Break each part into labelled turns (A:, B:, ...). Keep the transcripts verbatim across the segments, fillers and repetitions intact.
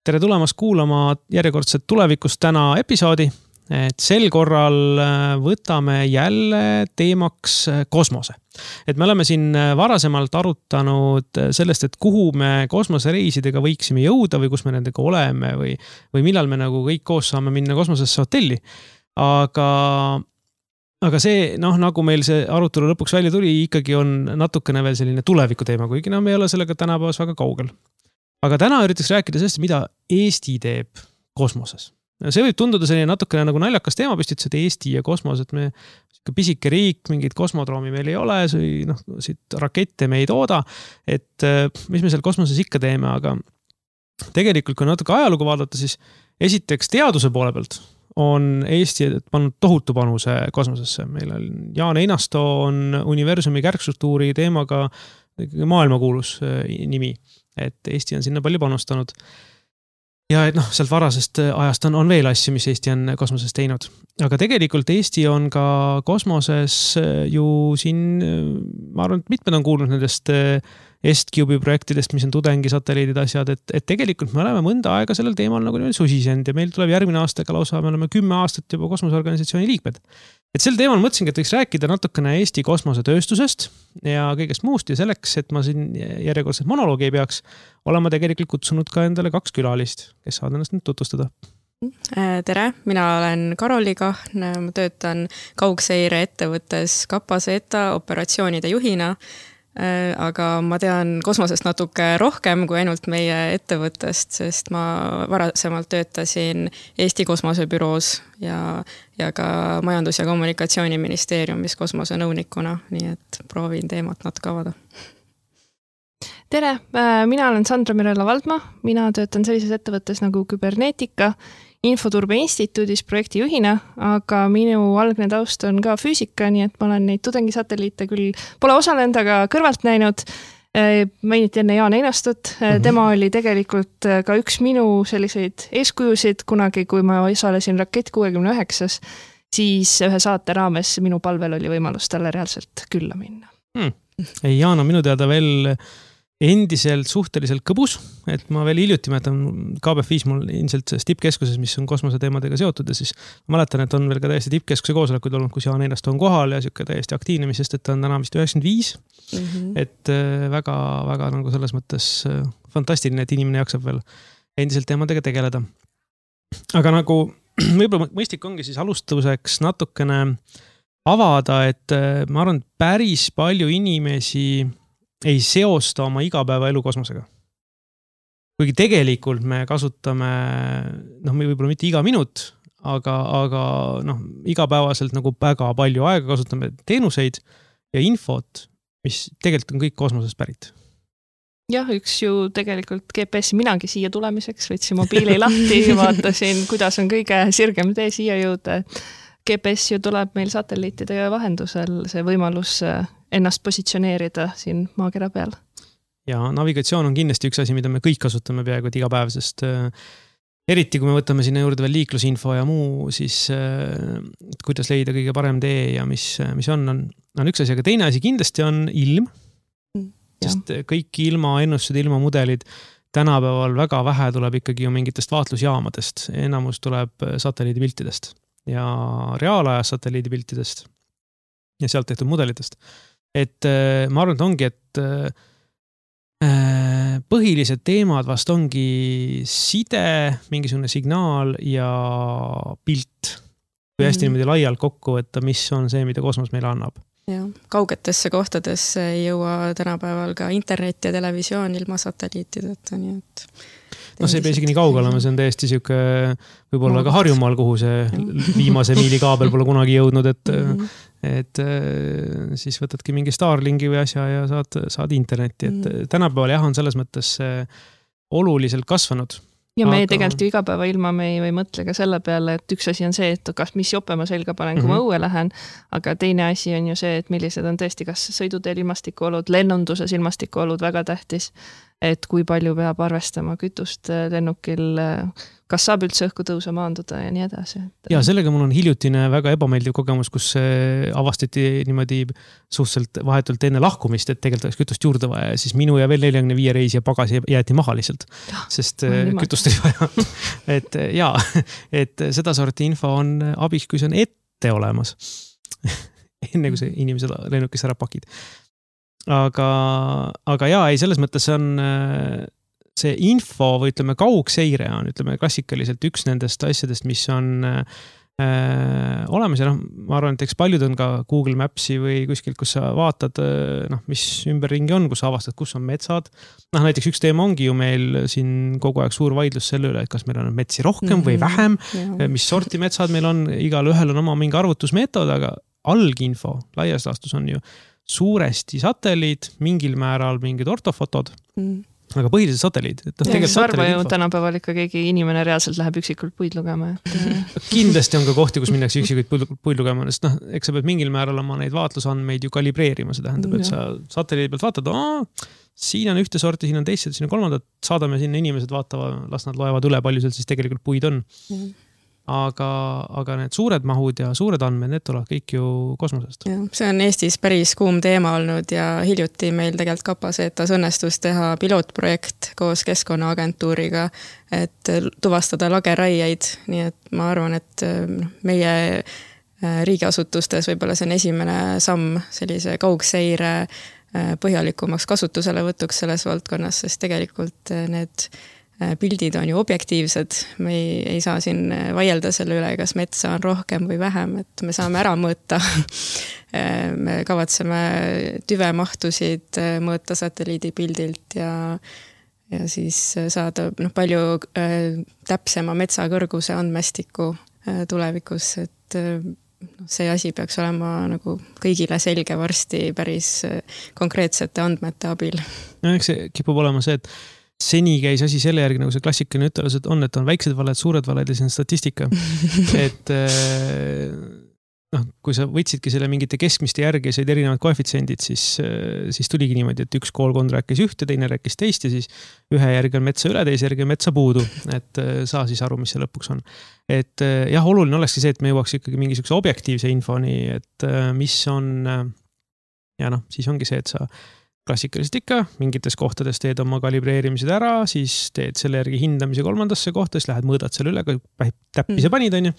A: Tere tulemast kuulama järjekordset tulevikust täna episoodi. Et sel korral võtame jälle teemaks kosmose. Et me oleme siin varasemalt arutanud sellest, et kuhu me kosmosereisidega võiksime jõuda või kus me nendega oleme või, või millal me nagu kõik koos saame minna kosmosesse hotelli. Aga, aga see, noh, nagu meil see arutelu lõpuks välja tuli, ikkagi on natukene veel selline tuleviku teema, kuigi no me ei ole sellega tänapäevas väga kaugel. Aga täna üritaks rääkida sellest, mida Eesti teeb kosmoses. See võib tunduda selline natukene nagu naljakas teemapüstitus, et Eesti ja kosmos, et me pisike riik, mingid kosmodroomi meil ei ole, noh, siit rakette me ei tooda, et mis me seal kosmoses ikka teeme, aga tegelikult kui natuke ajalugu vaadata, siis esiteks teaduse poole pealt on Eesti pannud tohutu panuse kosmosesse. Meil on Jaan Einasto on universumi kärgstruktuuri teemaga maailmakuulus nimi, et Eesti on sinna palju panustanud. Ja et noh, sealt varasest ajast on, on veel asju, mis Eesti on kosmoses teinud. Aga tegelikult Eesti on ka kosmoses ju siin, ma arvan, et mitmed on kuulnud nendest EstCube'i projektidest, mis on tudengi satelliidid asjad, et, et tegelikult me oleme mõnda aega sellel teemal nagu susisend ja meil tuleb järgmine aastaga lausa, me oleme kümme aastat juba kosmoseorganisatsiooni liikmed. Et sel teemal mõtlesingi, et võiks rääkida natukene Eesti kosmosetööstusest ja kõigest muust ja selleks, et ma siin järjekordselt monoloogi ei peaks, olema tegelikult kutsunud ka endale kaks külalist, kes saavad ennast nüüd tutvustada.
B: Tere, mina olen Karoli Kahn, ma töötan kaugseire ettevõttes Kapaseta operatsioonide juhina, aga ma tean kosmosest natuke rohkem kui ainult meie ettevõttest, sest ma varasemalt töötasin Eesti kosmosebüroos ja, ja ka Majandus- ja Kommunikatsiooniministeeriumis kosmosenõunikuna, nii et proovin teemat natuke avada.
C: Tere, mina olen Sandra Mirella Valdma, mina töötan sellises ettevõttes nagu Küberneetika, Infoturbe instituudis projektijuhina, aga minu algne taust on ka füüsika, nii et ma olen neid tudengisatelliite küll pole osalenud, aga kõrvalt näinud. Mainiti enne Jaan Einastut, tema oli tegelikult ka üks minu selliseid eeskujusid kunagi, kui ma osalesin Rakett kuuekümne üheksas, siis ühe saate raames minu palvel oli võimalus talle reaalselt külla minna.
A: Hmm. Jaan on minu teada veel endiselt suhteliselt kõbus, et ma veel hiljuti mäletan K B F viis mul ilmselt tippkeskuses, mis on kosmoseteemadega seotud ja siis ma mäletan, et on veel ka täiesti tippkeskuse koosolekuid olnud, kus Jaan Einasto on kohal ja siuke täiesti aktiivne, mis sest, et ta on täna vist üheksakümmend viis, mm-hmm. et väga, väga nagu selles mõttes fantastiline, et inimene jaksab veel endiselt teemadega tegeleda. Aga nagu võib-olla mõistlik ongi siis alustuseks natukene avada, et ma arvan, päris palju inimesi ei seosta oma igapäeva elu kosmosega. Kuigi tegelikult me kasutame, noh, me võib-olla mitte iga minut, aga, aga noh, igapäevaselt nagu väga palju aega kasutame teenuseid ja infot, mis tegelikult on kõik kosmosest pärit.
C: Jah, üks ju tegelikult G P S minagi siia tulemiseks, võtsin mobiili lahti, vaatasin, kuidas on kõige sirgem tee siia jõuda. G P S ju tuleb meil satelliitide vahendusel see võimalus ennast positsioneerida siin maakera peal.
A: Ja navigatsioon on kindlasti üks asi, mida me kõik kasutame peaaegu iga päev, sest eriti kui me võtame sinna juurde veel liiklusinfo ja muu, siis kuidas leida kõige parem tee ja mis, mis on, on, on üks asi, aga teine asi kindlasti on ilm, sest ja. Kõik ilma ennustused, ilma mudelid tänapäeval väga vähe tuleb ikkagi ju mingitest vaatlusjaamadest, enamus tuleb satelliidipiltidest ja reaalajas satelliidipiltidest ja sealt tehtud mudelitest. Et ma arvan, et ongi, et põhilised teemad vast ongi side, mingisugune signaal ja pilt. Kui hästi mm-hmm. niimoodi laialt kokku, et mis on see, mida kosmos meile annab.
B: Ja, kaugetesse kohtadesse ei jõua tänapäeval ka internet ja televisioon ilma satelliitideta, nii et
A: no see ei pea isegi nii kaugel olema, see on täiesti siuke võib-olla ka Harjumaal, kuhu see viimase miili kaabel pole kunagi jõudnud, et, mm-hmm. et siis võtadki mingi Starlinki või asja ja saad, saad internetti, et mm-hmm. tänapäeval jah on selles mõttes oluliselt kasvanud.
C: Ja me aga... tegelikult ju igapäeva ilma me ei või mõtle ka selle peale, et üks asi on see, et kas mis jope ma selga panen, kui mm-hmm. ma õue lähen, aga teine asi on ju see, et millised on tõesti kas sõiduteel ilmastikuolud, lennunduses ilmastikuolud väga tähtis. et kui palju peab arvestama kütust lennukil, kas saab üldse õhku tõusa maanduda ja nii edasi.
A: Ja sellega mul on hiljutine väga ebameeldiv kogemus, kus avastati niimoodi suhteliselt vahetult enne lahkumist, et tegelikult oleks kütust juurde vaja ja siis minu ja veel nelikümmend viis reisi ja pagasi jäeti maha lihtsalt, sest kütust oli vaja. et jaa, et seda sorti info on abiks, kui see on ette olemas. Enne kui see inimesed lennukist ära pakid. Aga, aga jaa, ei, selles mõttes see on see info või ütleme kaugseire on, ütleme klassikaliselt üks nendest asjadest, mis on äh, olemas ja noh, ma arvan, et eks paljud on ka Google Mapsi või kuskilt, kus sa vaatad, noh, mis ümberringi on, kus sa avastad, kus on metsad. Noh, näiteks üks teema ongi ju meil siin kogu aeg suur vaidlus selle üle, et kas meil on metsi rohkem või vähem, mm-hmm. mis sorti metsad meil on, igal ühel on oma mingi arvutusmeetod, aga alginfo laias laastus on ju suuresti satelliid, mingil määral mingid ortofotod, mm. aga põhiliselt satelliid. Et
C: ja, sarva ju tänapäeval ikka keegi inimene reaalselt läheb üksikult puid lugema. Et...
A: Kindlasti on ka kohti, kus minnakse üksikuid puid lugema, sest noh, eks sa pead mingil määral oma neid vaatlusandmeid ju kalibreerima, see tähendab, et sa satelliidi pealt vaatad, oo, siin on ühte sorti, siin on teist, siin on kolmandat, saadame sinna inimesed vaatava, las nad loevad üle, palju seal siis tegelikult puid on. Mm. Aga, aga need suured mahud ja suured andmed, need tulevad kõik ju kosmosest.
B: Ja, see on Eestis päris kuum teema olnud ja hiljuti meil tegelikult Kapasetas õnnestus teha pilootprojekt koos Keskkonnaagentuuriga, et tuvastada lageraiaid, nii et ma arvan, et meie riigiasutustes võib-olla see on esimene samm sellise kaugseire põhjalikumaks kasutusele võtuks selles valdkonnas, sest tegelikult need pildid on ju objektiivsed, me ei, ei saa siin vaielda selle üle, kas metsa on rohkem või vähem, et me saame ära mõõta. Me kavatseme tüvemahtusid mõõta satelliidipildilt ja, ja siis saada noh, palju äh, täpsema metsakõrguse andmestiku äh, tulevikus, et äh, see asi peaks olema nagu kõigile selge varsti päris äh, konkreetsete andmete abil.
A: No, eks see kipub olema see, et seni käis asi selle järgi, nagu see klassikaline ütelus, et on, et on väiksed valed, suured valed ja see on statistika. et noh, kui sa võtsidki selle mingite keskmiste järgi ja said erinevad koefitsiendid, siis, siis tuligi niimoodi, et üks koolkond rääkis ühte, teine rääkis teist ja siis ühe järgi on metsa üle, teise järgi on metsa puudu. Et saa siis aru, mis see lõpuks on. Et jah, oluline olekski see, et me jõuaks ikkagi mingisuguse objektiivse infoni, et mis on ja noh, siis ongi see, et sa klassikaliselt ikka, mingites kohtades teed oma kalibreerimised ära, siis teed selle järgi hindamise kolmandasse kohta, siis lähed mõõdad selle üle, kui täppi sa panid, on ju.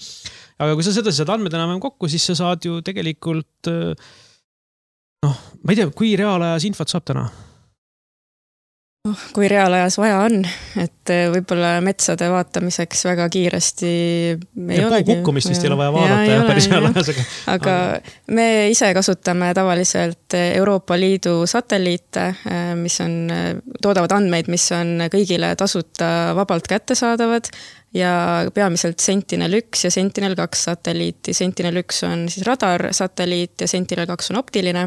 A: Aga kui sa seda saad andmed enam kokku, siis sa saad ju tegelikult, noh, ma ei tea, kui reaalajas infot saab täna?
B: Oh, kui reaalajas vaja on, et võib-olla metsade vaatamiseks väga kiiresti ei
A: ja olegi. Kukkumist vist ei ole vaja vaadata ja, ja päris reaalajas. Aga,
B: aga me ise kasutame tavaliselt Euroopa Liidu satelliite, mis on, toodavad andmeid, mis on kõigile tasuta vabalt kättesaadavad ja peamiselt Sentinel üks ja Sentinel kaks satelliiti. Sentinel üks on siis radar satelliit ja Sentinel kaks on optiline.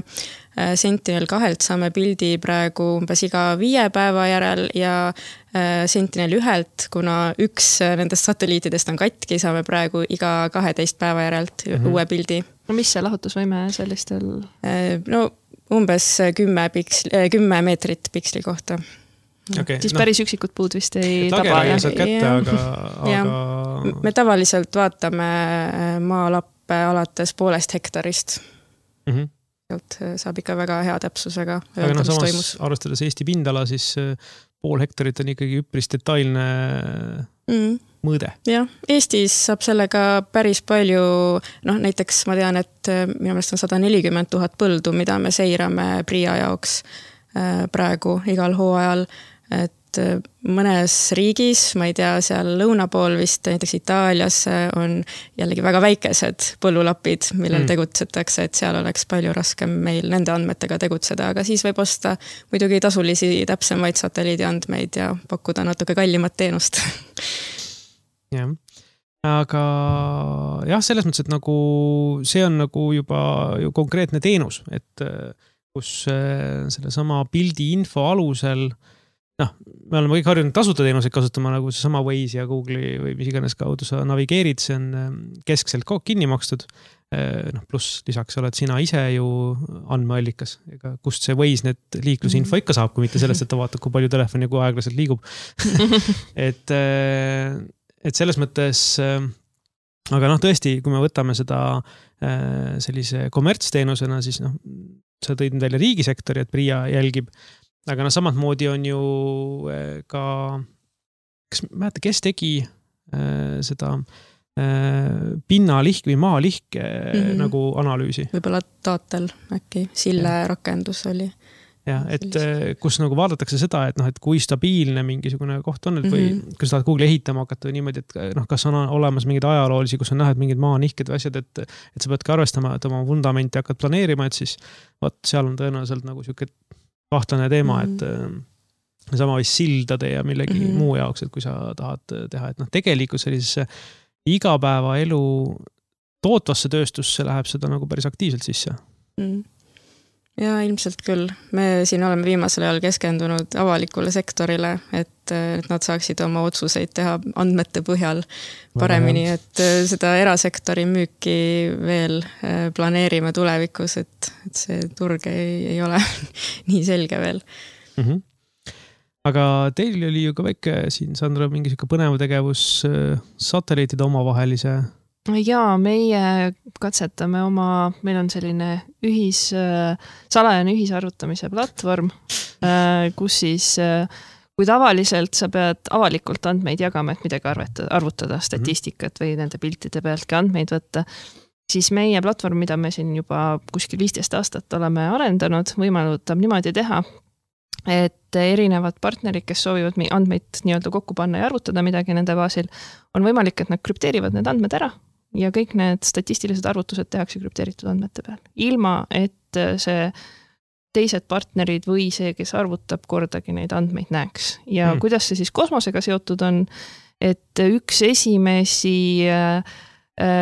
B: Sentinel kahelt saame pildi praegu umbes iga viie päeva järel ja Sentinel ühelt, kuna üks nendest satelliitidest on katki, saame praegu iga kaheteist päeva järelt mm-hmm. uue pildi.
C: No mis see lahutusvõime sellistel?
B: No umbes kümme, piksli, kümme meetrit piksli kohta.
A: Okay,
C: siis
A: no,
C: päris üksikud puud vist ei taba.
A: Lageraia saad kätte,
B: ja,
A: aga...
B: ja,
A: aga...
B: Me tavaliselt vaatame maalappe alates poolest hektarist. Mm-hmm. Saab ikka väga hea täpsusega
A: öelda, aga no, samas toimus. Arvestades Eesti pindala, siis pool hektarit on ikkagi üpris detailne mm. mõõde.
B: Jah, Eestis saab sellega päris palju, noh näiteks ma tean, et minu meelest on sada nelikümmend tuhat põldu, mida me seirame Pria jaoks praegu igal hooajal, et mõnes riigis, ma ei tea, seal lõuna pool vist, näiteks Itaalias on jällegi väga väikesed põllulapid, millel mm. tegutsetakse, et seal oleks palju raskem meil nende andmetega tegutseda, aga siis võib osta muidugi tasulisi täpsemaid satelliidi andmeid ja pakkuda natuke kallimat teenust.
A: jah, aga jah, selles mõttes, et nagu see on nagu juba ju konkreetne teenus, et kus selle sama pildi info alusel noh, me oleme kõik harjunud tasuta teenuseid kasutama, nagu see sama Waze ja Google'i või mis iganes kaudu sa navigeerid, see on keskselt kinni makstud. Noh, pluss lisaks oled sina ise ju andmeallikas, ega kust see Waze need liiklusinfo ikka saab, kui mitte sellest, et ta vaatab, kui palju telefoni ja kui aeglaselt liigub. et, et selles mõttes, aga noh, tõesti, kui me võtame seda sellise kommertsteenusena, siis noh, sa tõid välja riigisektori, et PRIA jälgib, aga noh, samad moodi on ju ka, kas mäeta, kes tegi äh, seda äh, pinnalihk või maalihk mm -hmm. nagu analüüsi?
B: Võib-olla Taatel äkki, Sille ja. Rakendus oli.
A: Ja, et sellise. Kus nagu vaadatakse seda, et noh, et kui stabiilne mingisugune koht on, et või mm -hmm. kui sa tahad Google ehitama hakata või niimoodi, et noh, kas on olemas mingid ajaloolisi, kus on näha, et mingid maanihked või asjad, et, et sa peadki arvestama, et oma vundamenti hakkad planeerima, et siis vaat seal on tõenäoliselt nagu siuke kahtlane teema, mm -hmm. et sama vist sildade ja millegi mm -hmm. muu jaoks, et kui sa tahad teha, et noh, tegelikult sellisesse igapäevaelu tootvasse tööstusse läheb seda nagu päris aktiivselt sisse.
B: Mm -hmm. Ja ilmselt küll. Me siin oleme viimasel ajal keskendunud avalikule sektorile, et, et nad saaksid oma otsuseid teha andmete põhjal paremini, et seda erasektori müüki veel planeerime tulevikus, et, et see turg ei, ei ole nii selge veel.
A: Mm -hmm. Aga teil oli ju ka väike siin, Sandra, mingi siuke põnev tegevus satelliitide omavahelise.
C: Jaa, meie katsetame oma, meil on selline ühis, salajane ühisarvutamise platvorm, kus siis, kui tavaliselt sa pead avalikult andmeid jagama, et midagi arvutada, arvutada statistikat või nende piltide pealtki andmeid võtta, siis meie platvorm, mida me siin juba kuskil viisteist aastat oleme arendanud, võimaldab niimoodi teha, et erinevad partnerid, kes soovivad andmeid nii-öelda kokku panna ja arvutada midagi nende baasil, on võimalik, et nad krüpteerivad need andmed ära ja kõik need statistilised arvutused tehakse krüpteeritud andmete peal. Ilma, et see teised partnerid või see, kes arvutab, kordagi neid andmeid näeks. Ja hmm. kuidas see siis kosmosega seotud on, et üks esimesi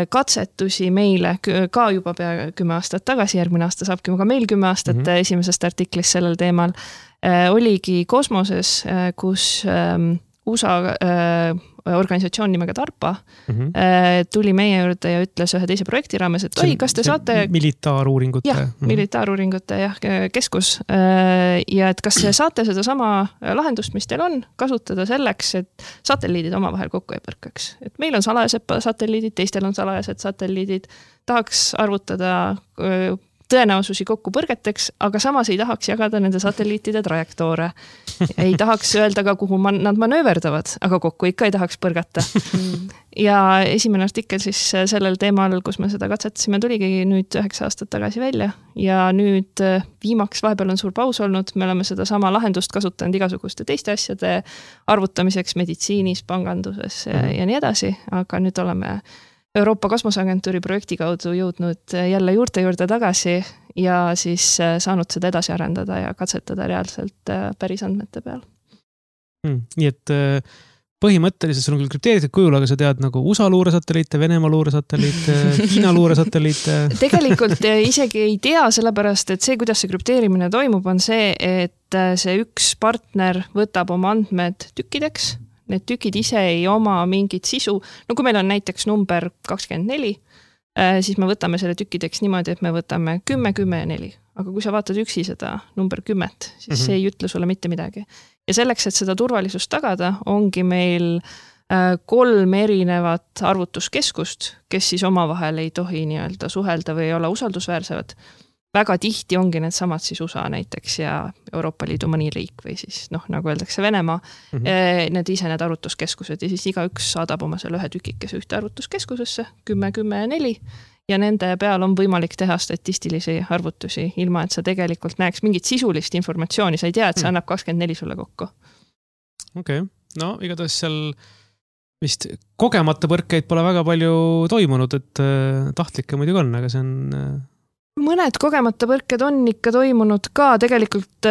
C: katsetusi meile ka juba pea kümme aastat tagasi, järgmine aasta saabki ka meil kümme aastat hmm. esimesest artiklist sellel teemal, oligi kosmoses, kus U S A organisatsioon nimega DARPA mm-hmm. tuli meie juurde ja ütles ühe teise projekti raames, et oi, kas te saate...
A: Militaaruuringute.
C: Jah, mm-hmm. militaaruuringute jah, keskus. Ja et kas te saate seda sama lahendust, mis teil on, kasutada selleks, et satelliidid omavahel kokku ei põrkaks. Et meil on salajased satelliidid, teistel on salajased satelliidid, tahaks arvutada tõenäosusi kokku põrgeteks, aga samas ei tahaks jagada nende satelliitide trajektoore. Ei tahaks öelda ka, kuhu man, nad manööverdavad, aga kokku ikka ei tahaks põrgata. Ja esimene artikkel siis sellel teemal, kus me seda katsetasime, tuligi nüüd üheksa aastat tagasi välja. Ja nüüd viimaks vahepeal on suur paus olnud, me oleme seda sama lahendust kasutanud igasuguste teiste asjade arvutamiseks meditsiinis, panganduses ja, ja nii edasi, aga nüüd oleme Euroopa Kosmoseagentuuri projekti kaudu jõudnud jälle juurte juurde tagasi ja siis saanud seda edasi arendada ja katsetada reaalselt päris andmete peal.
A: Hmm, nii et põhimõtteliselt sul on küll krüpteeritud kujul, aga sa tead nagu U S A luuresatelliite, Venemaa luuresatelliite, Hiina luuresatelliite.
C: Tegelikult isegi ei tea, sellepärast, et see, kuidas see krüpteerimine toimub, on see, et see üks partner võtab oma andmed tükkideks. Need tükid ise ei oma mingit sisu. No kui meil on näiteks number kakskümmend neli, siis me võtame selle tükkideks niimoodi, et me võtame kümme, kümme ja neli. Aga kui sa vaatad üksi seda number kümmet, siis mm-hmm. see ei ütle sulle mitte midagi. Ja selleks, et seda turvalisust tagada, ongi meil kolm erinevat arvutuskeskust, kes siis omavahel ei tohi nii-öelda suhelda või olla usaldusväärsevad. Väga tihti ongi need samad siis U S A näiteks ja Euroopa Liidu mõni riik või siis, noh, nagu öeldakse Venemaa, mm-hmm. need ise need arvutuskeskused ja siis iga üks saadab oma selle ühe tükikese ühte arvutuskeskusesse, kümme, kümme ja neli ja nende peal on võimalik teha statistilisi arvutusi, ilma et sa tegelikult näeks mingit sisulist informatsiooni, sa ei tea, et see annab kakskümmend neli sulle kokku.
A: Okei, okay. No igatahes seal vist kogemata põrkeid pole väga palju toimunud, et tahtlikke muidugi on, aga see on...
C: Mõned kogemata põrked on ikka toimunud ka tegelikult,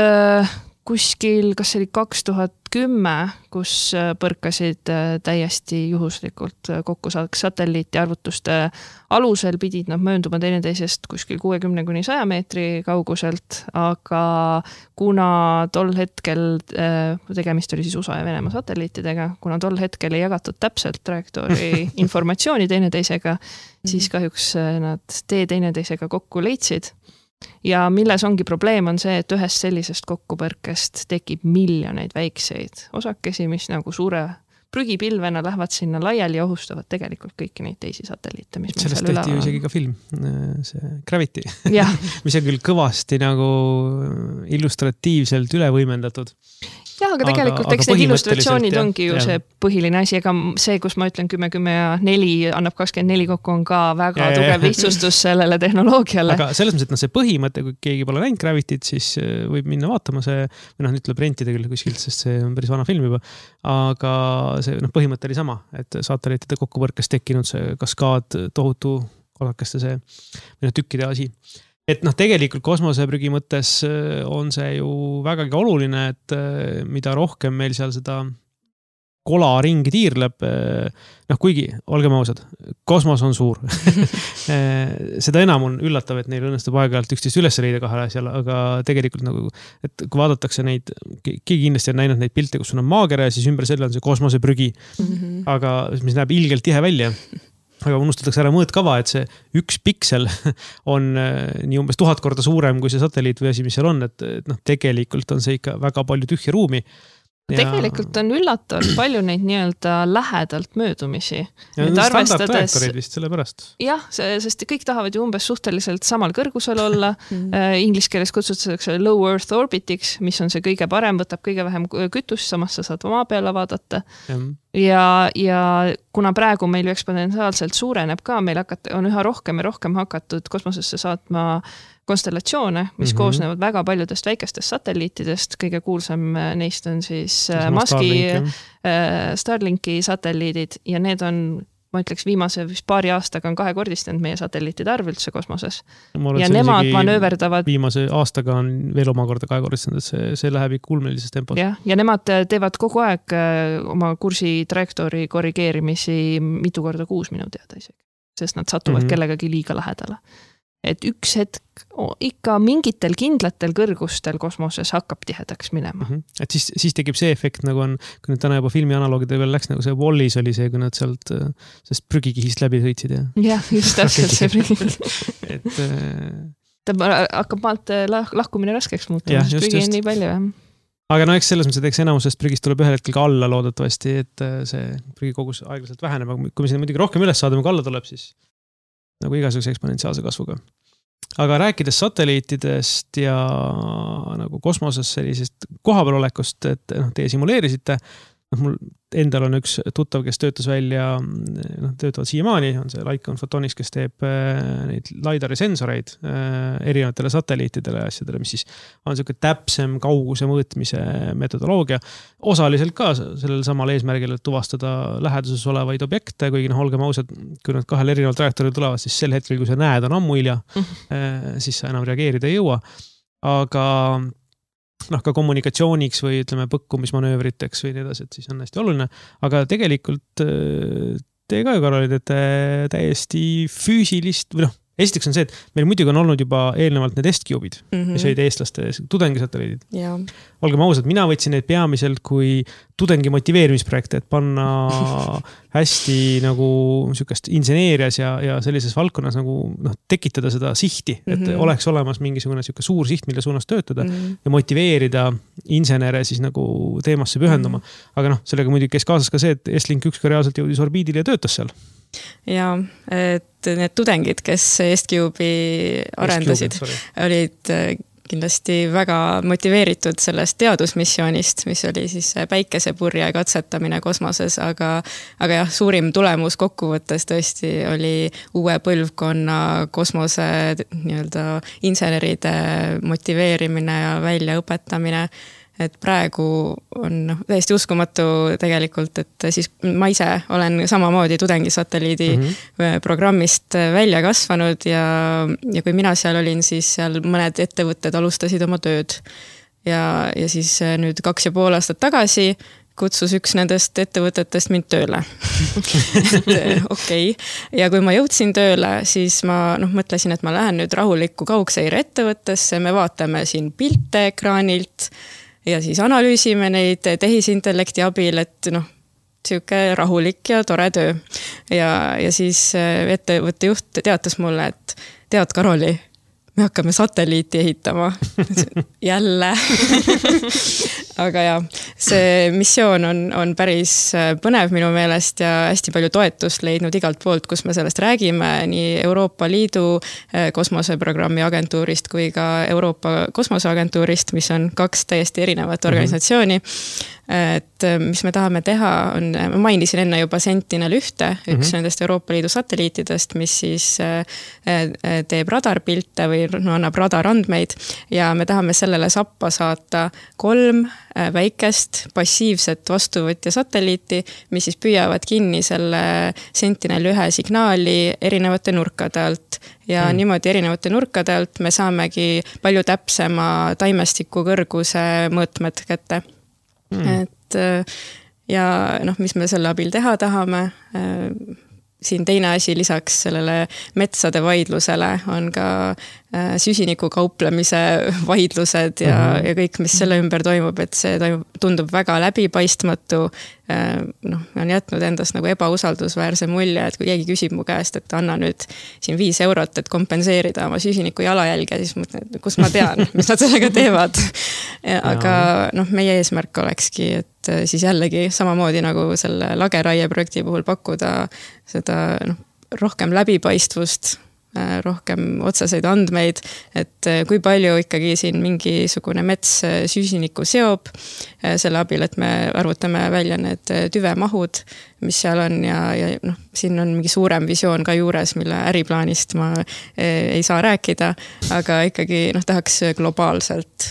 C: kuskil, kas see oli kaks tuhat kümme, kus põrkasid täiesti juhuslikult kokku saaks satelliiti arvutuste alusel, pidid nad möönduma teineteisest kuskil kuuekümne kuni saja meetri kauguselt, aga kuna tol hetkel, tegemist oli siis U S A ja Venemaa satelliitidega, kuna tol hetkel ei jagatud täpselt trajektoori informatsiooni teineteisega, siis kahjuks nad tee teineteisega kokku leidsid. Ja milles ongi probleem on see, et ühest sellisest kokkupõrkest tekib miljoneid väikseid osakesi, mis nagu suure prügipilvena lähevad sinna laiali ja ohustavad tegelikult kõiki neid teisi satelliite, mis
A: sellest tehti ju isegi ka film, see Gravity, mis on küll kõvasti nagu illustratiivselt üle võimendatud.
C: Jah, aga tegelikult aga, eks aga need illustratsioonid jah, ongi ju jah. See põhiline asi, ega see, kus ma ütlen kümme, kümme ja neli annab kakskümmend neli kokku, on ka väga ja, tugev lihtsustus sellele tehnoloogiale.
A: Aga selles mõttes, et no see põhimõte, kui keegi pole näinud Gravityt, siis võib minna vaatama see, või noh, nüüd tuleb rentida küll kuskilt, sest see on päris vana film juba, aga see noh, põhimõte oli sama, et satelliitide kokkupõrkes tekkinud see kaskaad tohutu osakeste see või noh, tükkide asi. Et noh, tegelikult kosmoseprügi mõttes on see ju vägagi oluline, et mida rohkem meil seal seda kola ringi tiirleb, noh kuigi, olgem ausad, kosmos on suur. Seda enam on üllatav, et neil õnnestub aeg-ajalt üksteist üles leida kahel asjal, aga tegelikult nagu, et kui vaadatakse neid, keegi kindlasti on näinud neid pilte, kus on maakere, siis ümber selle on see kosmoseprügi, mm-hmm. aga mis näeb ilgelt tihe välja. Aga unustatakse ära mõõtkava, et see üks piksel on nii umbes tuhat korda suurem kui see satelliit või asi, mis seal on, et, et noh, tegelikult on see ikka väga palju tühja ruumi. Ja... Tegelikult
C: on üllatavalt palju neid nii-öelda lähedalt möödumisi.
A: Ja standard trajektorid vist selle pärast.
C: Jah, sest kõik tahavad ju umbes suhteliselt samal kõrgusel olla. Inglis keeles kutsutakse low earth orbitiks, mis on see kõige parem, võtab kõige vähem kütust, samas sa saad maa peale vaadata. Ja, ja kuna praegu meil ju eksponentsiaalselt suureneb ka, meil hakat, on üha rohkem ja rohkem hakatud kosmosesse saatma konstellatsioone, mis mm-hmm. koosnevad väga paljudest väikestest satelliitidest. Kõige kuulsam neist on siis Muski Starlink, Starlinki satelliidid ja need on, ma ütleks, viimase vist paari aastaga on kahekordistanud meie satelliitide arv üldse kosmoses. Ja nemad manööverdavad...
A: Viimase aastaga on veel omakorda kahekordistanud, et see, see läheb ikka ulmelises tempos.
C: Ja, ja nemad teevad kogu aeg oma kursi trajektoori korrigeerimisi mitu korda kuus minu teada isegi, sest nad satuvad mm-hmm. kellegagi liiga lähedale. Et üks hetk ikka mingitel kindlatel kõrgustel kosmoses hakkab tihedaks minema.
A: Mm-hmm. Et siis, siis tekib see efekt, nagu on, kui nüüd täna juba filmi analoogide veel läks, nagu see Wallis oli see, kui nad sealt sest prügikihist läbi sõitsid. Ja,
C: jah, just täpselt see prügikihist.
A: et
C: ta hakkab maalt lahkumine raskeks muutuma, sest prügi on nii palju. Jah.
A: Aga no eks selles mõttes, et eks enamusest prügist tuleb ühel hetkel ka alla loodetavasti, et see prügikogus aeglaselt väheneb, aga kui me sinna muidugi rohkem üles saadame, kui alla tuleb, siis nagu igasuguse eksponentsiaalse kasvuga. Aga rääkides satelliitidest ja nagu kosmoses sellisest kohapeal olekust, et noh, teie simuleerisite, noh, mul endal on üks tuttav, kes töötas välja, noh, töötavad siiamaani, on see Lycon Photonics, kes teeb neid LiDAR sensoreid erinevatele satelliitidele ja asjadele, mis siis on selline täpsem kauguse mõõtmise metodoloogia. Osaliselt ka sellel samal eesmärgil, et tuvastada läheduses olevaid objekte, kuigi noh, olgem ausad, kui nad kahel erineval trajektooril tulevad, siis sel hetkel, kui sa näed, on ammu hilja, mm-hmm. siis sa enam reageerida ei jõua. Aga noh, ka kommunikatsiooniks või ütleme põkkumismanöövriteks või nii edasi, et siis on hästi oluline. Aga tegelikult te ka ju Karolid, et täiesti füüsilist või noh, esiteks on see, et meil muidugi on olnud juba eelnevalt need S-Cube'id, mm-hmm. mis olid eestlaste tudengisatelliidid.
B: Ja.
A: Olgem ausad, mina võtsin neid peamiselt kui tudengi motiveerimisprojekte, et panna hästi nagu sükest inseneerias ja, ja sellises valdkonnas nagu noh, tekitada seda sihti, et mm-hmm. oleks olemas mingisugune süke suur siht, mille suunas töötada mm-hmm. ja motiveerida insenere siis nagu teemasse pühenduma. Mm-hmm. Aga noh, sellega muidugi käis kaasas ka see, et S-Link üks ka reaalselt jõudis orbiidile ja töötas seal.
B: Ja, et need tudengid, kes S-Cube'i arendasid, olid kindlasti väga motiveeritud sellest teadusmissioonist, mis oli siis päikesepurje katsetamine kosmoses, aga, aga jah, suurim tulemus kokkuvõttes tõesti oli uue põlvkonna kosmose nii-öelda inseneride motiveerimine ja väljaõpetamine. Et praegu on no, täiesti uskumatu tegelikult, et siis ma ise olen samamoodi tudengisatelliidi mm-hmm. programmist välja kasvanud ja, ja kui mina seal olin, siis seal mõned ettevõtted alustasid oma tööd. ja, ja siis nüüd kaks ja pool aastat tagasi kutsus üks nendest ettevõtetest mind tööle. et okei. Okay. Ja kui ma jõudsin tööle, siis ma noh, mõtlesin, et ma lähen nüüd rahulikku kaugseire ettevõttesse, me vaatame siin pilte ekraanilt ja siis analüüsime neid tehisintellekti abil, et noh, siuke rahulik ja tore töö. Ja, ja siis ettevõtte juht teatas mulle, et tead, Karoli, me hakkame satelliiti ehitama. Jälle. Aga ja, see missioon on, on päris põnev minu meelest ja hästi palju toetust leidnud igalt poolt, kus me sellest räägime, nii Euroopa Liidu kosmoseprogrammi agentuurist kui ka Euroopa kosmoseagentuurist, mis on kaks täiesti erinevat organisatsiooni. Et mis me tahame teha on, ma mainisin enne juba Sentinel ühte, üks mm-hmm. nendest Euroopa Liidu satelliitidest, mis siis teeb radarpilte või no, annab radarandmeid ja me tahame sellele sappa saata kolm väikest passiivset vastuvõtja satelliiti, mis siis püüavad kinni selle Sentinel ühe signaali erinevate nurkade alt ja mm. niimoodi erinevate nurkade alt me saamegi palju täpsema taimestiku kõrguse mõõtmed kätte. Mm. Et ja noh, mis me selle abil teha tahame, siin teine asi lisaks sellele metsade vaidlusele on ka süsiniku kauplemise vaidlused ja, mm-hmm. ja kõik, mis selle ümber toimub, et see toimub, tundub väga läbipaistmatu, noh, on jätnud endast nagu ebausaldusväärse mulje, et kui keegi küsib mu käest, et anna nüüd siin viis eurot, et kompenseerida oma süsiniku jalajälge, siis mõtlen, kus ma tean, mis nad sellega teevad. Aga noh, meie eesmärk olekski, et siis jällegi samamoodi nagu selle lageraie projekti puhul pakkuda seda noh, rohkem läbipaistvust, rohkem otseseid andmeid, et kui palju ikkagi siin mingisugune mets süsinikku seob selle abil, et me arvutame välja need tüvemahud, mis seal on ja, ja noh, siin on mingi suurem visioon ka juures, mille äriplaanist ma ei saa rääkida, aga ikkagi noh, tahaks globaalselt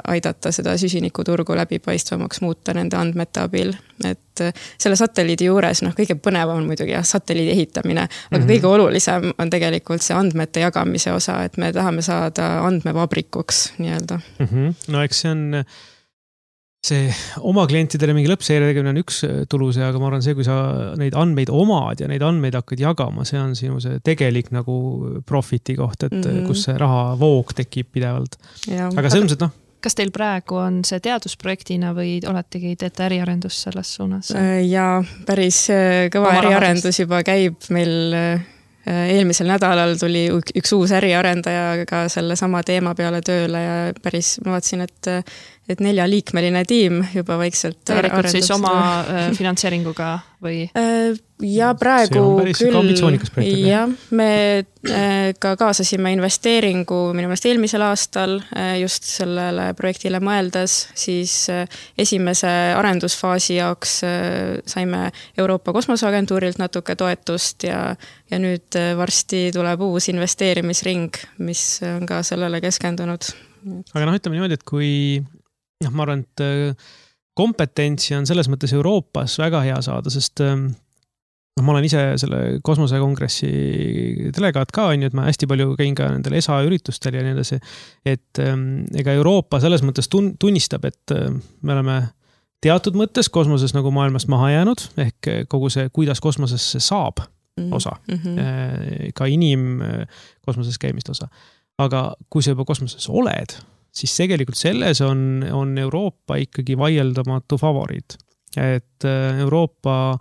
B: aidata seda süsinikuturgu läbipaistvamaks muuta nende andmete abil. Et selle satelliidi juures noh, kõige põnevam on muidugi jah, satelliidi ehitamine, aga mm-hmm. kõige olulisem on tegelikult see andmete jagamise osa, et me tahame saada andmevabrikuks nii-öelda.
A: Mm-hmm. No eks see on see oma klientidele mingi lõppseire tegemine on üks tuluse, aga ma arvan see, kui sa neid andmeid omad ja neid andmeid hakkad jagama, see on sinu see tegelik nagu profiti koht, et mm-hmm. kus see raha voog tekib pidevalt. Ja, aga see on see, noh.
C: Kas teil praegu on see teadusprojektina või oletegi teete äriarendus selles suunas?
B: Ja päris kõva oma äriarendus rahadust. Juba käib meil eelmisel nädalal tuli üks uus äriarendaja ka selle sama teema peale tööle ja päris ma vaatasin, et, et neljaliikmeline tiim juba vaikselt
C: tegelikult siis oma äh, finantseeringuga või?
B: Ja praegu küll, ja me ka kaasasime investeeringu minu meelest eelmisel aastal just sellele projektile mõeldes, siis esimese arendusfaasi jaoks saime Euroopa Kosmoseagentuurilt natuke toetust ja, ja nüüd varsti tuleb uus investeerimisring, mis on ka sellele keskendunud.
A: Aga noh, ütleme niimoodi, et kui noh, ma arvan, et kompetentsi on selles mõttes Euroopas väga hea saada, sest no, ma olen ise selle kosmosekongressi delegaat ka, on ju, et ma hästi palju käin ka nendel E S A üritustel ja nii edasi, et ega Euroopa selles mõttes tunnistab, et me oleme teatud mõttes kosmoses nagu maailmast maha jäänud, ehk kogu see, kuidas kosmosesse saab osa, mm-hmm. ka inim kosmoses käimist osa. Aga kui sa juba kosmoses oled, siis tegelikult selles on, on Euroopa ikkagi vaieldamatu favoriit. Et Euroopa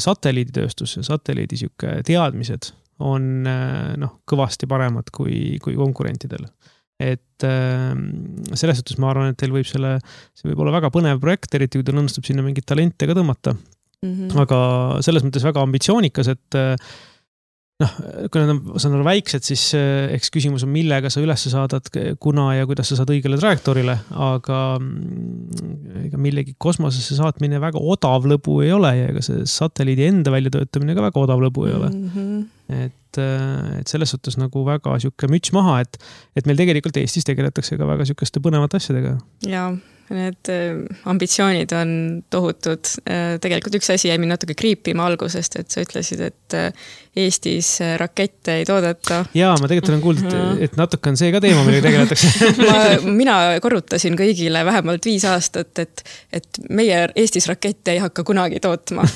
A: satelliiditööstus ja satelliidi siuke teadmised on noh, kõvasti paremad kui, kui konkurentidel. Et selles suhtes ma arvan, et teil võib selle, see võib olla väga põnev projekt, eriti kui teil õnnestub sinna mingit talente ka tõmmata. Mm-hmm. Aga selles mõttes väga ambitsioonikas, et noh, kui nad on, on väiksed, siis eks küsimus on, millega sa üles saadad, kuna ja kuidas sa saad õigele trajektoorile, aga ega millegi kosmosesse saatmine väga odav lõbu ei ole ja ega see satelliidi enda väljatöötamine ka väga odav lõbu ei ole. Mm-hmm. Et, et selles suhtes nagu väga siuke müts maha, et, et meil tegelikult Eestis tegeletakse ka väga siukeste põnevate asjadega.
B: Ja need ambitsioonid on tohutud. Tegelikult üks asi jäi mind natuke kriipima algusest, et sa ütlesid, et Eestis rakette ei toodeta.
A: Jaa, ma tegelikult olen kuulnud, et, et natuke on see ka teema, millega tegeletakse.
B: ma, mina korrutasin kõigile vähemalt viis aastat, et, et meie Eestis rakette ei hakka kunagi tootma.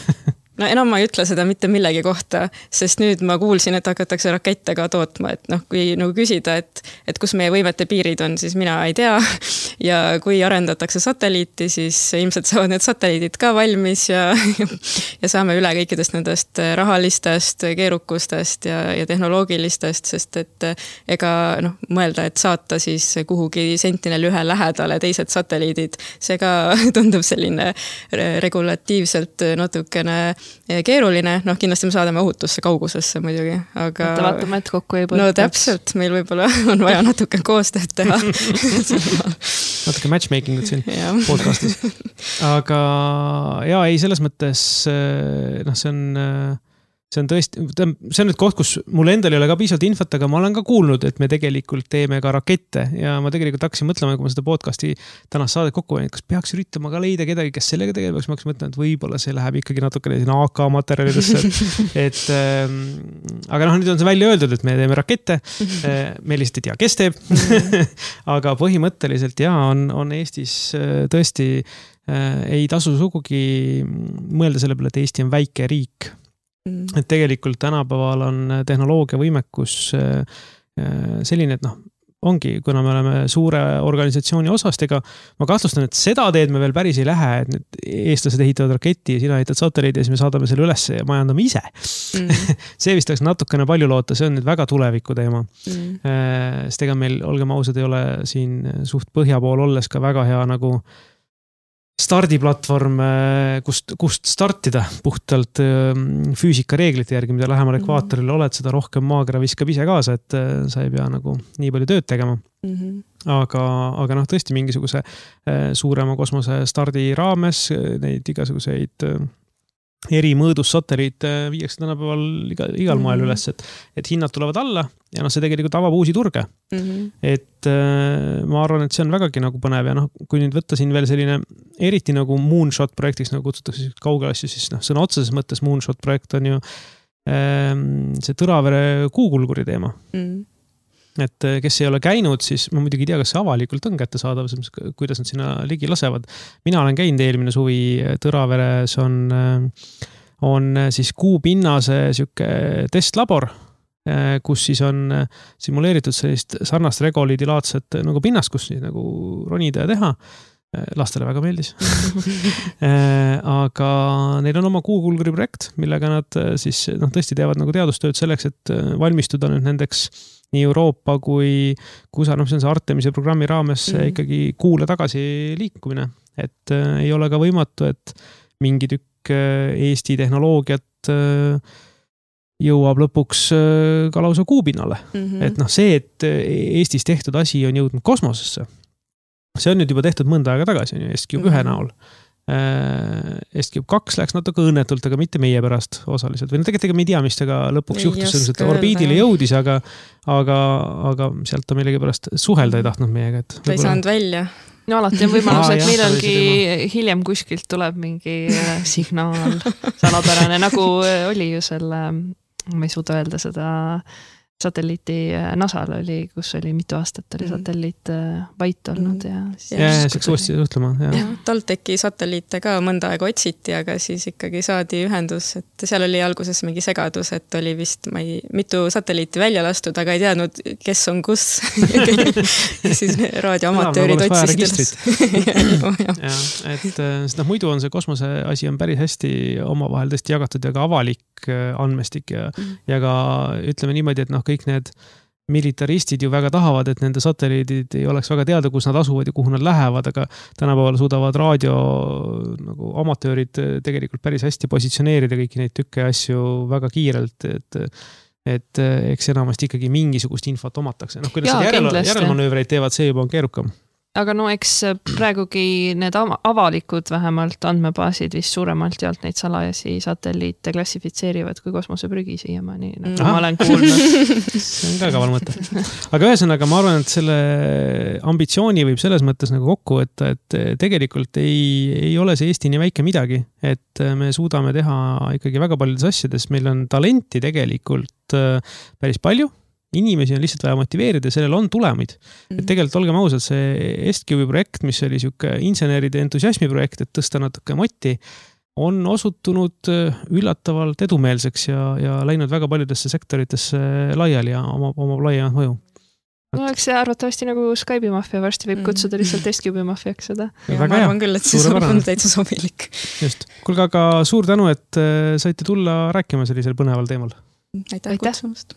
B: No enam ma ei ütle seda mitte millegi kohta, sest nüüd ma kuulsin, et hakatakse rakette ka tootma, et noh, kui nagu küsida, et, et kus meie võimete piirid on, siis mina ei tea. Ja kui arendatakse satelliiti, siis ilmselt saavad need satelliidid ka valmis ja, ja saame üle kõikidest nendest rahalistest, keerukustest ja, ja tehnoloogilistest, sest et ega noh, mõelda, et saata siis kuhugi Sentinel ühe lähedale teised satelliidid, see ka tundub selline regulatiivselt natukene keeruline, noh kindlasti me saadame ohutusse kaugusesse muidugi, aga...
C: Mõtta vaatame, et kokku ei põltaks.
B: No täpselt, meil võib-olla on vaja natuke koostööd teha.
A: natuke matchmakingut siin podcastis. Aga jaa, ei, selles mõttes, noh, see on... See on tõesti, see on nüüd koht, kus mul endal ei ole ka piisavalt infot, aga ma olen ka kuulnud, et me tegelikult teeme ka rakette ja ma tegelikult hakkasin mõtlema, kui ma seda podcasti tänast saadet kokku panin, kas peaks üritama ka leida kedagi, kes sellega tegeleb, ma hakkasin mõtlema, et võib-olla see läheb ikkagi natukene sinna A K materjalidesse. Et, ähm, aga noh, nüüd on see välja öeldud, et me teeme rakette, me lihtsalt ei tea, kes teeb. Aga põhimõtteliselt jaa, on, on Eestis tõesti ei tasu sugugi mõelda selle peale, et Eesti on väike riik. Et tegelikult tänapäeval on tehnoloogia võimekus selline, et noh, ongi, kuna me oleme suure organisatsiooni osast, ega ma kahtlustan, et seda teed me veel päris ei lähe, et nüüd eestlased ehitavad raketi ja sina ehitad satelliidi ja siis me saadame selle üles ja majandame ise. Mm. see vist oleks natukene palju loota, see on nüüd väga tuleviku teema. Mm. Sest ega meil, olgem ausad, ei ole siin suht põhja pool olles ka väga hea nagu stardiplatvorm, kust, kust startida puhtalt füüsika reeglite järgi, mida lähemal ekvaatorile oled, seda rohkem maakera viskab ise kaasa, et sa ei pea nagu nii palju tööd tegema. Mm-hmm. Aga, aga noh, tõesti mingisuguse suurema kosmose stardi raames neid igasuguseid eri mõõdus satelliit viiakse tänapäeval igal, igal moel üles, et, et hinnad tulevad alla ja noh, see tegelikult avab uusi turge. Mm-hmm. Et äh, ma arvan, et see on vägagi nagu põnev ja noh, kui nüüd võtta siin veel selline eriti nagu moonshot projektiks, nagu kutsutakse kaugel asju, siis noh, sõna otseses mõttes moonshot projekt on ju äh, see Tõravere kuukulguri teema. Mm-hmm. Et kes ei ole käinud, siis ma muidugi ei tea, kas see avalikult on kättesaadav, kuidas nad sinna ligi lasevad. Mina olen käinud eelmine suvi Tõraveres on, on siis kuupinnase siuke testlabor, kus siis on simuleeritud sellist sarnast regoliidilaadset nagu pinnast, kus siis nagu ronida ja teha. Lastele väga meeldis. Aga neil on oma kuukulguri projekt, millega nad siis noh, tõesti teevad nagu teadustööd selleks, et valmistuda nüüd nendeks nii Euroopa kui kusa, noh, see on see Artemise programmi raames mm-hmm. ikkagi kuule tagasi liikumine. Et äh, ei ole ka võimatu, et mingi tükk äh, Eesti tehnoloogiat äh, jõuab lõpuks äh, ka lausa kuupinnale. Mm-hmm. Et noh, see, et Eestis tehtud asi on jõudnud kosmosesse, see on nüüd juba tehtud mõnda aega tagasi, on ju, EstCube mm-hmm. ühe näol. EstCube kaks läks natuke õnnetult, aga mitte meie pärast osaliselt. Või no tegelikult me ei tea, mis tega lõpuks ei juhtus, et orbiidile jõudis, aga, aga, aga sealt ta millegi pärast suhelda ei tahtnud meiega. Et
B: ta ei saanud välja.
C: No alati on võimalus, et millalgi hiljem kuskilt tuleb mingi signaal salapärane, nagu oli ju selle, ma ei suuda öelda seda satelliiti NASAl oli, kus oli mitu aastat oli satelliit vait olnud ja siis...
A: Ja, ja siis uuesti suhtlema.
B: TalTechi satelliite ka mõnda aega otsiti, aga siis ikkagi saadi ühendus, et seal oli alguses mingi segadus, et oli vist ma ei, mitu satelliiti välja lastud, aga ei teadnud, kes on kus. ja siis raadioamatöörid otsisid.
A: ja, et noh, muidu on see kosmose asi on päris hästi omavahel tõesti jagatud ja ka avalik andmestik ja, mm. ja ka ütleme niimoodi, et noh, kõik need militaristid ju väga tahavad, et nende satelliidid ei oleks väga teada, kus nad asuvad ja kuhu nad lähevad, aga tänapäeval suudavad raadio nagu amatöörid tegelikult päris hästi positsioneerida kõiki neid tükke asju väga kiirelt, et, et eks enamasti ikkagi mingisugust infot omatakse. Noh, kuidas järel, järelmanöövreid teevad, see juba on keerukam.
C: aga no eks praegugi need avalikud vähemalt andmebaasid vist suuremalt jaolt neid salajasi satelliite klassifitseerivad kui kosmoseprügi siiamaani, nagu mm. ma olen kuulnud.
A: See on ka kaval mõte. Aga ühesõnaga, ma arvan, et selle ambitsiooni võib selles mõttes nagu kokku võtta, et tegelikult ei, ei ole see Eesti nii väike midagi, et me suudame teha ikkagi väga paljudes asjades. Meil on talenti tegelikult päris palju. Inimesi on lihtsalt vaja motiveerida ja sellel on tulemid. Mm. Et tegelikult olgem ausad, see EstCube'i projekt, mis oli siuke inseneride entusiasmi projekt, et tõsta natuke motti, on osutunud üllatavalt edumeelseks ja, ja läinud väga paljudesse sektoritesse laiali ja oma, oma laiemat mõju.
C: No eks see arvatavasti nagu Skype'i maffia varsti võib kutsuda lihtsalt EstCube'i maffiaks seda.
B: Ja ma arvan küll, et see on täitsa sobilik.
A: Just. Kuulge, aga suur tänu, et saite tulla rääkima sellisel põneval teemal.
B: Aitäh kutsumast.